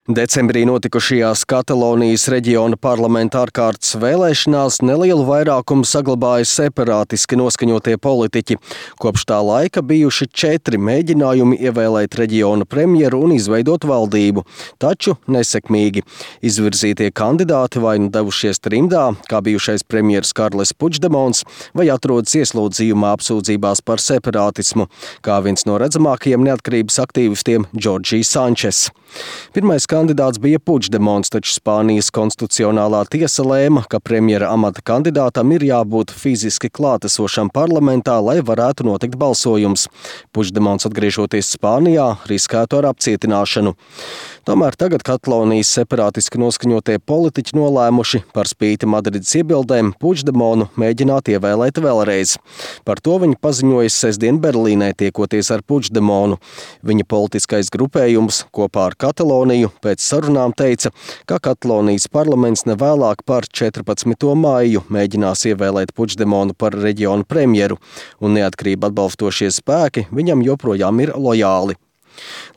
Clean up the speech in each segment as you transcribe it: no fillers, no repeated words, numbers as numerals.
Decembrī notikušajās Katalonijas reģiona parlamenta ārkārtas vēlēšanās nelielu vairākumu saglabāja separātiski noskaņotie politiķi. Kopš tā laika bijuši 4 mēģinājumi ievēlēt reģiona premjeru un izveidot valdību, taču nesekmīgi. Izvirzītie kandidāti vai nu devušies trimdā, kā bijušais premjeras Karles Puigdemons, vai atrodas ieslodzījumā apsūdzībās par separātismu, kā viens no redzamākajiem neatkarības aktīvistiem Jorge Sančes. Pirmais kandidāts bija Puigdemons, taču Spānijas konstitucionālā tiesa lēma, ka premjera amata kandidātam ir jābūt fiziski klātesošam parlamentā, lai varētu notikt balsojums. Puigdemons, atgriežoties Spānijā, riskētu ar apcietināšanu. Tomēr tagad Katalonijas separātiski noskaņotie politiķi nolēmuši par spīti Madrides iebildēm Puigdemonu mēģināt ievēlēt vēlreiz. Par to viņi paziņoja sestdien Berlīnē, tiekoties ar Puigdemonu. Viņa politiskais grupējums kopā ar Kataloniju pēc sarunām teica, ka Katalonijas parlaments nevēlāk par 14. māju mēģinās ievēlēt Puigdemonu par reģionu premjeru, un neatkarību atbalstošie spēki viņam joprojām ir lojāli.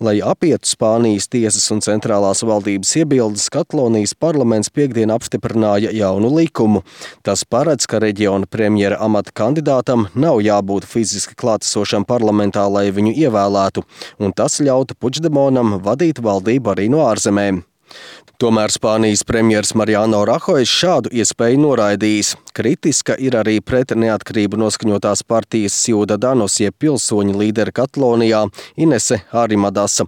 Lai apietu Spānijas tiesas un centrālās valdības iebildes, Katalonijas parlaments piektdien apstiprināja jaunu likumu. Tas paredz, ka reģiona premjera amata kandidātam nav jābūt fiziski klātesošam parlamentā, lai viņu ievēlētu, un tas ļautu Puigdemonam vadīt valdību arī no ārzemēm. Tomēr Spānijas premjers Mariano Rajoy šādu iespēju noraidījis. Kritiska ir arī pret neatkarību noskaņotās partijas Ciudadanos jeb pilsoņu līderi Katalonijā Inese Arrimadasa.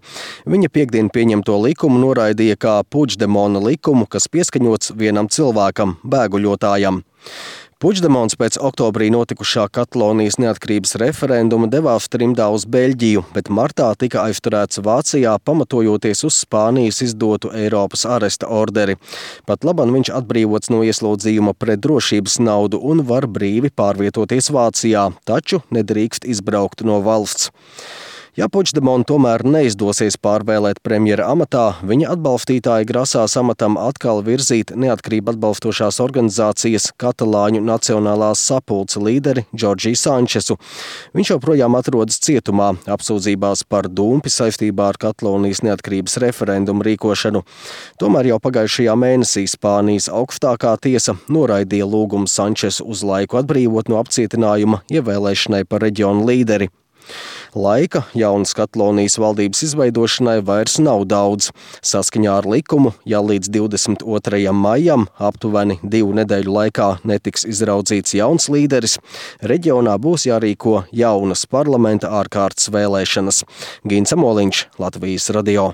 Viņa piektdien pieņemto likumu noraidīja kā Puigdemona likumu, kas pieskaņots vienam cilvēkam, bēguļotājam. Puigdemons pēc oktobrī notikušā Katalonijas neatkarības referenduma devās trimdā uz Beļģiju, bet martā tika aizturēts Vācijā, pamatojoties uz Spānijas izdotu Eiropas aresta orderi. Pat labam viņš atbrīvots no ieslodzījuma pret drošības naudu un var brīvi pārvietoties Vācijā, taču nedrīkst izbraukt no valsts. Ja Puigdemonu tomēr neizdosies pārvēlēt premjera amatā, viņa atbalstītāji grasās amatam atkal virzīt neatkarību atbalstošās organizācijas Katalāņu Nacionālās sapulce līderi Jorge Sančesu. Viņš joprojām atrodas cietumā, apsūdzībās par dumpi saistībā ar Katalonijas neatkarības referendumu rīkošanu. Tomēr jau pagājušajā mēnesī Spānijas augstākā tiesa noraidīja lūgumu Sančesu uz laiku atbrīvot no apcietinājuma ievēlēšanai par reģionu līderi. Laika jaunas Katalonijas valdības izveidošanai vairs nav daudz. Saskaņā ar likumu, ja līdz 22. maijam aptuveni 2 nedēļu laikā netiks izraudzīts jauns līderis, reģionā būs jārīko jaunas parlamenta ārkārtas vēlēšanas. Gins Amoliņš, Latvijas radio.